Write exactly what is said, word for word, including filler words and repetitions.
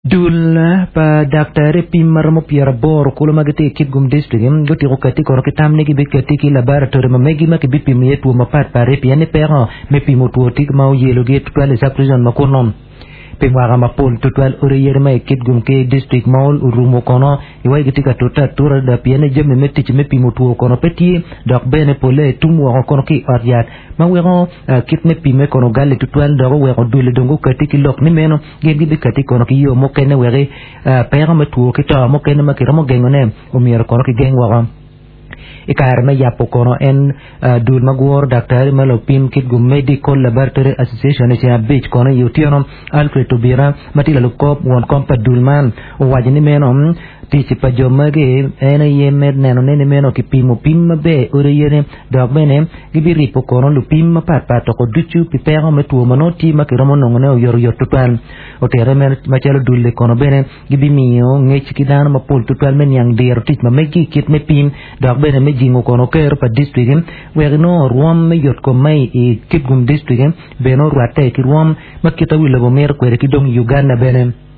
Dul pa daktari pim maromo pyera aboro kulu ma gitye i Kitgum District gutiko kati kono ki tam ni gibikati ki laboratory ma megi ma kibipimo iye two mapatpat pien ni peko me pimo two tye ma oyelogi tutwal i sub-region ma kuno. Pi mwaka mapol tutwal odi yadi ma i Kitgum ki district ma orumo kono iwaci gitye ka tute atura adada pien ni jami me tic me pimo two kono pe tye dok bene pole tum woko kono ki i ot yat ma weko kit me pime kono ogalle tutwal dok oweko dule dong gukati ki lok ni meno gin gibikati kono ki yo mukene weki peko me two ki to mukene ma kiromo gengone omyero kono kigeng woko. I kare me yabo kono en dul ma guro daktari ma lupim Kitgum Medical Laboratory Association i ceng abic kono i otyeno Alfred Tobira ma tye lalub kor won kom pa dul man owaco ni meno tic pa jo magi en aye me nenone ni meno kipimo pim maber odi yene dok bene gibiripo kono lupim mapatpat toko ducu pi peko me two ma nongo tye ma kiromo nongone oyotoyot tutwal. Otere macalo dul-li kono bene gibimiyo ngec ki dano mapol tutwal me niang diro tic ma megi i kit me pim dok bene me jingo kono kero pa distrik wek inongo rwom me yotkom ma i Kitgum District bene orwatte ki rwom ma kita wi lobo mito kwede ki dong Uganda bene.